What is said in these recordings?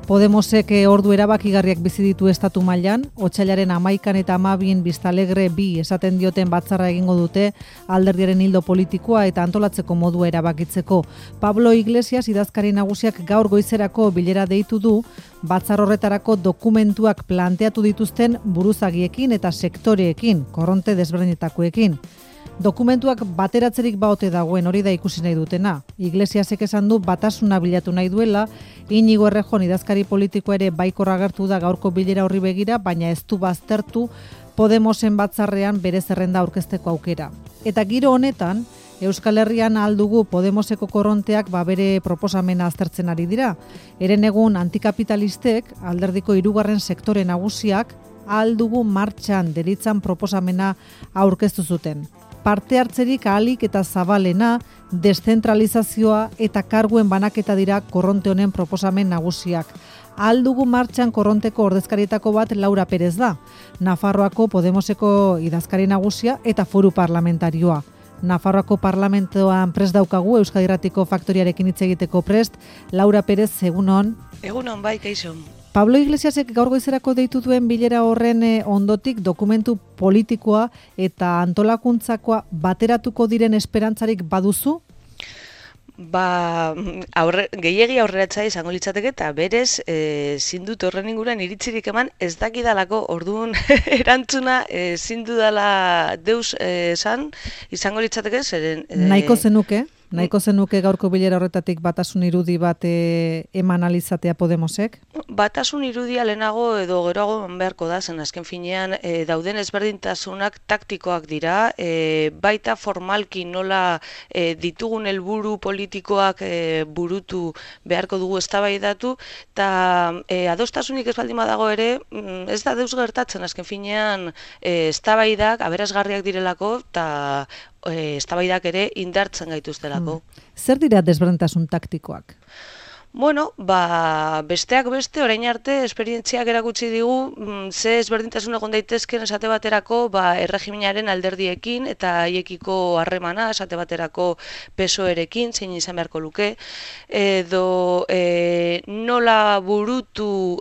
Podemosek ordu erabakigarriak bizi ditu estatu mailan, otsailaren 11 eta 12 Vistalegre 2 esaten dioten batzarra egingo dute alderdiaren ildo politikoa eta antolatzeko modua erabakitzeko. Pablo Iglesias idazkari nagusiak gaur goizerako bilera deitu du, batzar horretarako dokumentuak planteatu dituzten buruzagiekin eta sektoreekin, korronte desberdinetakoekin. Dokumentuak bateratzerik baote dagoen, hori da ikusi nahi dutena. Iglesiasek esan du batasuna bilatu nahi duela, Iñigo Errejón idazkari politikoa ere baikor agertu da gaurko bilera horri begira, baina ez du baztertu Podemosen batzarrean bere zerrenda aurkezteko aukera. Eta giro honetan, Euskal Herrian aldugu Podemoseko korronteak bere proposamena aztertzen ari dira. Eren egun antikapitalistek, alderdiko 3. sektore nagusiak, aldugu martxan deritzan proposamena aurkeztu zuten. Parte hartzerik ahalik eta zabalena, deszentralizazioa eta karguen banaketa dira korronte honen proposamen nagusiak. Aldugu martxan korronteko ordezkarietako bat Laura Perez da, Nafarroako Podemoseko idazkari nagusia eta foru parlamentarioa. Nafarroako parlamentoan prest daukagu, Euskadi Irratiko faktoriarekin hitz egiteko prest. Laura Perez, egunon. Egunon, bai, kaixo. Pablo Iglesiasek gaur goizerako deitu duen bilera horren ondotik dokumentu politikoa eta antolakuntzakoa bateratuko diren esperantzarik baduzu? Gehiegi aurreratza izango litzateke eta berez ezin dut horren inguruan iritzirik eman ez dakidalako, orduan erantzuna ezin dudala deus esan izango litzateke zeren... Nahiko zenuke gaurko bilera horretatik batasun irudi bat eman alizatea Podemosek? Batasun irudia lehenago edo geroago beharko da, zen azken finean dauden ezberdintasunak taktikoak dira, baita formalki nola ditugun helburu politikoak burutu beharko dugu eztabaidatu, eta adostasunik ez baldin badago ere, ez da deus gertatzen azken finean eztabaidak aberasgarriak direlako, eta eztabaidak ere indartzen gaituztelako. Zer dira desberdintasun taktikoak? Bueno, besteak beste, orain arte, esperientziak erakutsi digu, ze ezberdintasun egon daitezken esate baterako erregimenaren alderdiekin eta haiekiko harremana esate baterako PSOErekin, zein izan beharko luke, edo nola burutu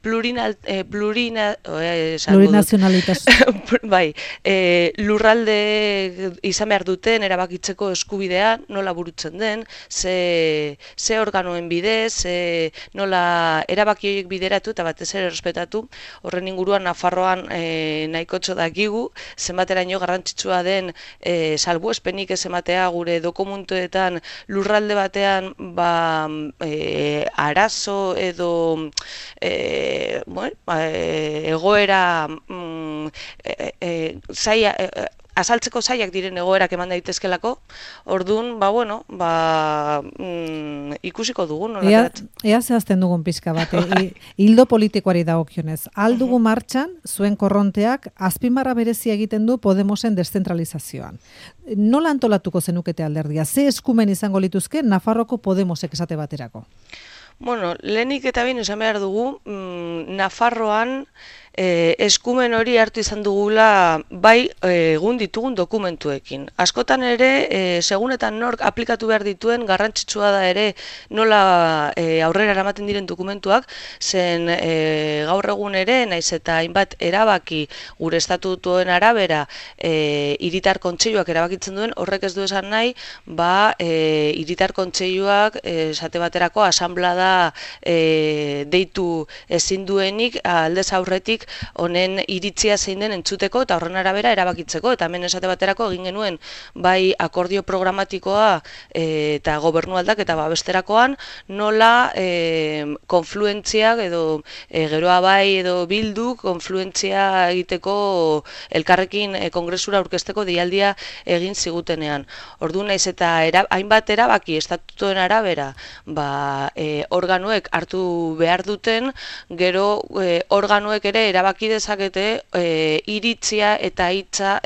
plurinazionalitasun. Bai, lurralde izan behar duten erabakitzeko eskubidea nola burutzen den, ze organoen bidez, nola erabaki horiek bideratu eta batez ere errespetatu. Horren inguruan Nafarroan nahikotxo dakigu, zenbateraino garrantzitsua den salbuespenik ez ematea gure dokumentuetan lurralde batean arazo edo egoera azaltzeko zaiak diren egoerak eman daitezkelako, orduan, ikusiko dugun. Ea zehazten dugun pixka bat, hildo politikoari dagokionez. Aldugu martxan, zuen korronteak, azpimarra berezia egiten du Podemosen deszentralizazioan. Nola antolatuko zenukete alderdia? Ze eskumen izango lituzke Nafarroko Podemosek esate baterako? Bueno, lehenik eta behin esan behar dugu, Nafarroan eskumen hori hartu izan dugula bai egun ditugun dokumentuekin. Askotan ere, segunetan nork aplikatu behar dituen, garrantzitsua da ere nola aurrera eramaten diren dokumentuak, zen gaur egun ere, naiz eta hainbat erabaki gure estatutuen arabera hiritar kontseiluak erabakitzen duen, horrek ez du esan nahi, hiritar kontseiluak esate baterako asanblada deitu ezin duenik aldez aurretik honen iritzia zein den entzuteko eta horren arabera erabakitzeko, eta hemen esate baterako egin genuen bai akordio programatikoa eta gobernu aldaketa babesterakoan nola konfluentziak edo geroa bai edo bildu konfluentzia egiteko elkarrekin kongresura aurkezteko deialdia egin zigutenean. Orduan naiz eta hainbat erabaki estatutuen arabera organoek hartu behar duten, gero organoek ere erabaki dezakete iritzia eta hitza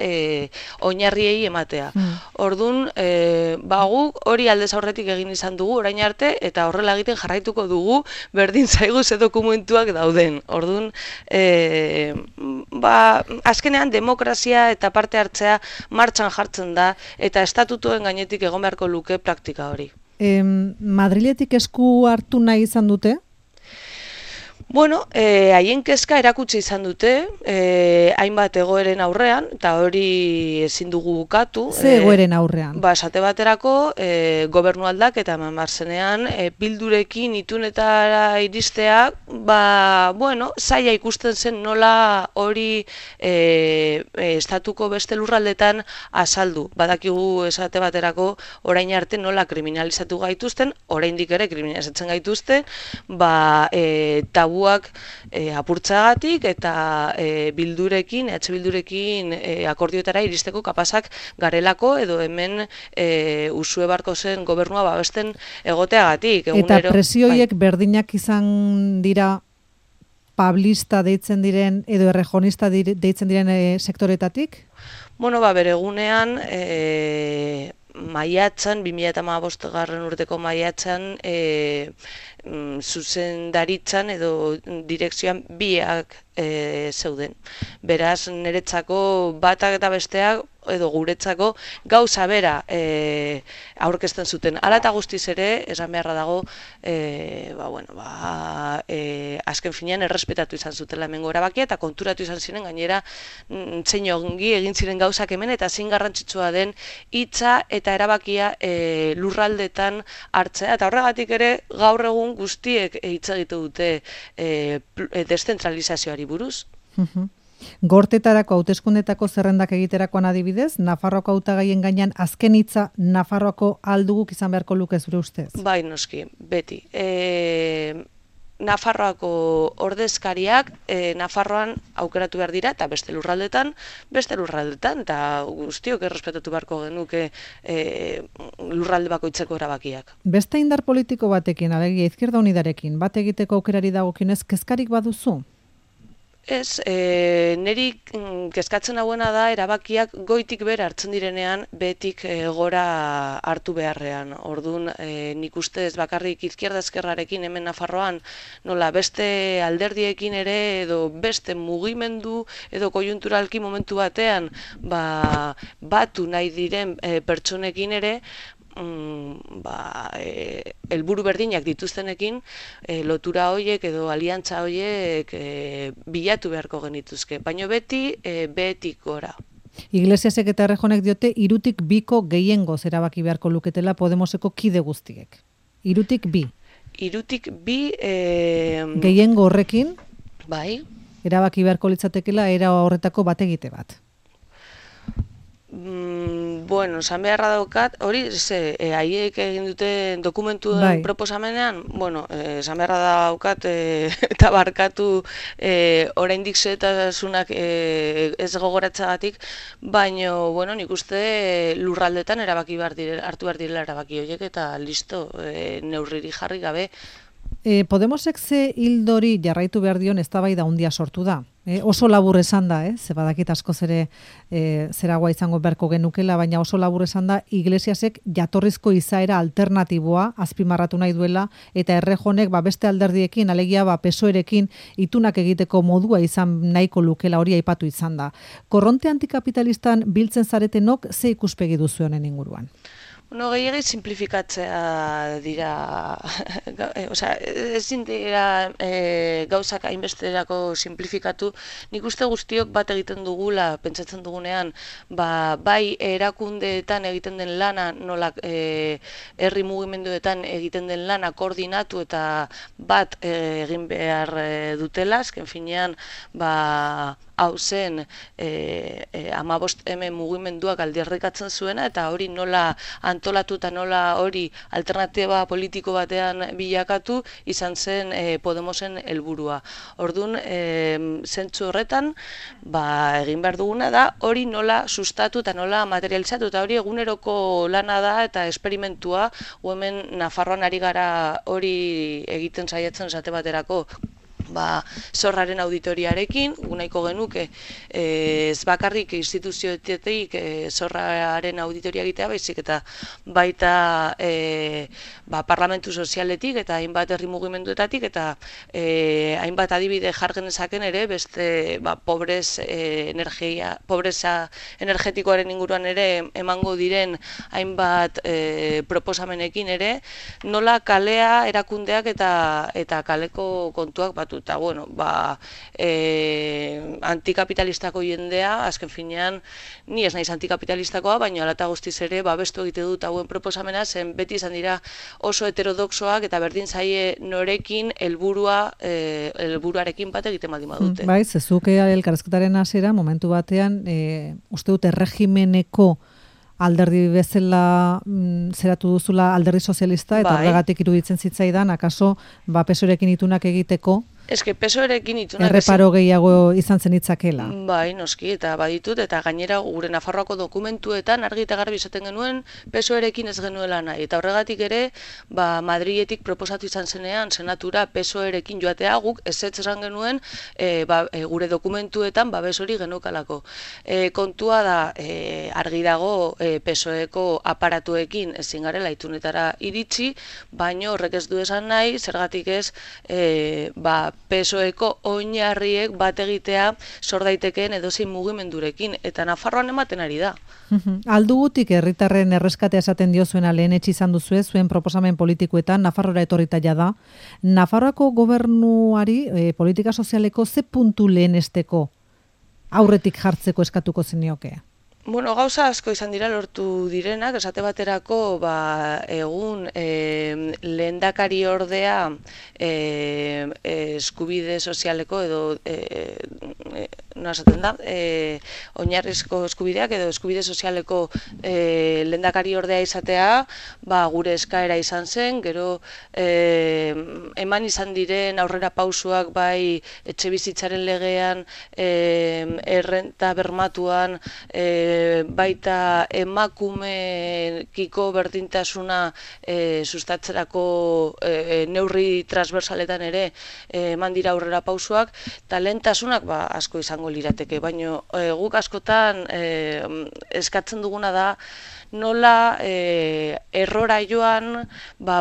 oinarriei ematea. Orduan, guk hori aldez aurretik egin izan dugu orain arte eta horrela egiten jarraituko dugu berdin zaigu ze dokumentuak dauden. Orduan, azkenean demokrazia eta parte hartzea martxan jartzen da eta estatutuen gainetik egon beharko luke praktika hori. Madriletik esku hartu nahi izan dute? Bueno, haien kezka erakutsi izan dute, hainbat egoeren aurrean, eta hori ezin dugu bukatu. Ze egoeren aurrean? Esate baterako, gobernu aldaketa eman behar zenean, bildurekin itunetara iristea, zaila ikusten zen nola hori estatuko beste lurraldetan azaldu. Badakigu esate baterako orain arte nola kriminalizatu gaituzten, oraindik ere kriminalizatzen gaituzten, tabuak apurtzagatik eta bildurekin, bildurekin akordioetara iristeko kapazak garelako edo hemen usue barko zen gobernua babesten egoteagatik. Eta presioiek berdinak izan dira pablista deitzen diren edo errejonista deitzen diren sektoretatik? Bere egunean, maiatzan, 2015 urteko maiatzan, zuzendaritzan edo direkzioan biak zeuden. Beraz, niretzako batak eta besteak edo guretzako gauza bera aurkezten zuten. Hala eta guztiz ere, esan beharra dago, azken finean errespetatu izan zutela hemengo erabakia eta konturatu izan ziren gainera zein ongi egin ziren gauzak hemen eta zein garrantzitsua den hitza eta erabakia lurraldetan hartzea. Eta horregatik ere gaur egun guztiek hitz egite dute deszentralizazioari buruz. Gortetarako hauteskundetako zerrendak egiterakoan adibidez, Nafarroako hautagaien gainean azken hitza Nafarroako alduguk izan beharko luke zure ustez? Bai, noski, beti. Nafarroako ordezkariak Nafarroan aukeratu behar dira eta beste lurraldetan, eta guztiok errespetatu beharko genuke lurralde bakoitzeko erabakiak. Beste indar politiko batekin, alegia Izquierda Unidarekin, bat egiteko aukerari dagokinez, kezkarik baduzu? Ez, niri kezkatzen hauena da erabakiak goitik bera hartzen direnean behetik gora hartu beharrean. Orduan, nik uste ez bakarrik Izquierda Ezkerrarekin hemen Nafarroan, nola beste alderdiekin ere edo beste mugimendu edo koiunturalki momentu batean batu nahi diren pertsonekin ere, helburu berdinak dituztenekin lotura horiek edo aliantza horiek bilatu beharko genituzke, baina beti behetik gora. Iglesiasek eta Errejonek diote 3tik 2ko gehiengoz erabaki beharko luketela Podemoseko kide guztiek. 3tik 2. 3tik 2 gehiengo horrekin bai, erabaki beharko litzatekela era horretako bategite bat. Esan beharra daukat, hori, haiek egin duten dokumentuen proposamenean, esan beharra daukat, eta barkatu oraindik zetasunak ez gogoratzagatik, baina, nik uste lurraldetan hartu behar direla erabaki horiek, eta listo, neurriri jarri gabe. Podemosek ze hildori jarraitu behar dion eztabaida handia sortu da. Oso labur esan da, ze badakit askoz ere zeragoa izango beharko genukela, baina oso labur esan da Iglesiasek jatorrizko izaera alternatiboa azpimarratu nahi duela eta Errejonek beste alderdiekin, alegia PSOErekin itunak egiteko modua izan nahiko lukela hori aipatu izan da. Korronte antikapitalistan biltzen zaretenok ze ikuspegi duzu honen inguruan? Gehiagik simplifikatzea dira, ezin dira gauzak hainbesterako simplifikatu. Nik uste guztiok bat egiten dugula, pentsatzen dugunean, bai erakundeetan egiten den lana, nola herri mugimenduetan egiten den lana koordinatu eta bat egin behar dutela, azken finean, hau zen 15M mugimenduak aldarrikatzen zuena eta hori nola antolatu eta nola hori alternatiba politiko batean bilakatu izan zen Podemosen helburua. Orduan, zentzu horretan, egin behar duguna da hori nola sustatu eta nola materializatu eta hori eguneroko lana da eta esperimentua, hemen Nafarroan ari gara hori egiten saiatzen esate baterako zorraren auditoriarekin, nahiko genuke ez bakarrik instituzioetetik zorraren auditoria egitea baizik eta baita parlamentu sozialetik eta hainbat herri mugimenduetatik eta hainbat adibide jargen ezaken ere beste pobreza energetikoaren inguruan ere emango diren hainbat proposamenekin ere nola kalea erakundeak eta kaleko kontuak batu sartu. Eta, bueno, antikapitalistako jendea, azken finean, ni ez naiz antikapitalistakoa, baina alata guztiz ere, babestu egite dut hauen proposamena, zen beti izan dira oso heterodoxoak eta berdin zaie norekin helburuarekin bat egiten baldin badute. Bai, zezuke elkarrizketaren hasiera momentu batean, uste dut erregimeneko alderdi bezala zeratu duzula alderdi sozialista, eta horregatik iruditzen zitzaidan, akaso PSOErekin itunak egiteko, Eske PSOErekin itunak erreparo gehiago izan zen itzakela. Bai, noski, eta baditut, eta gainera gure Nafarroako dokumentuetan argi eta garbi esaten genuen PSOErekin ez genuela nahi. Eta horregatik ere, Madriletik proposatu izan zenean, senatura PSOErekin joatea guk ezetz esan genuen gure dokumentuetan babes hori genukalako. Kontua da, argi dago PSOEko aparatuekin ezin garela itunetara iritsi, baino horrek ez du esan nahi, zergatik ez, PSOEko oinarriek bat egitea sor daitekeen edozein mugimendurekin, eta Nafarroan ematen ari da. Aldugutik herritarren erreskatea esaten diozuena lehen izan duzue, zuen proposamen politikoetan, Nafarrora etorrita da. Nafarroako gobernuari politika sozialeko ze puntu lehenesteko aurretik jartzeko eskatuko zenioke? Bueno, gauza asko izan dira lortu direnak, esate baterako egun lehendakari ordea eskubide sozialeko edo esaten da, oinarrizko eskubideak edo eskubide sozialeko lehendakari ordea izatea, gure eskaera izan zen, gero eman izan diren aurrera pausuak bai etxe bizitzaren legean, errenta bermatuan, baita emakumekiko berdintasuna sustatzerako neurri transversaletan ere eman dira aurrera pausuak, eta lehentasunak asko izango lirateke, baina guk askotan eskatzen duguna da nola errora joan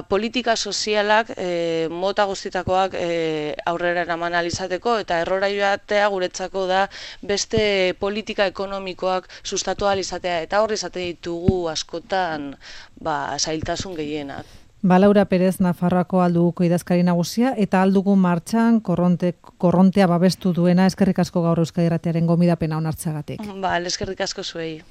politika sozialak mota guztitakoak aurrera eraman alizateko, eta errora joatea guretzako da beste politika ekonomikoak sustatu alizatea, eta horri izate ditugu askotan zailtasun gehienak. Laura Perez, Nafarroako Alduguko idazkari nagusia, eta Aldugu martxan korrontea babestu duena, eskerrik asko gaur Euskadi Irratiaren gomidapena onartzeagatik. Eskerrik asko zuei.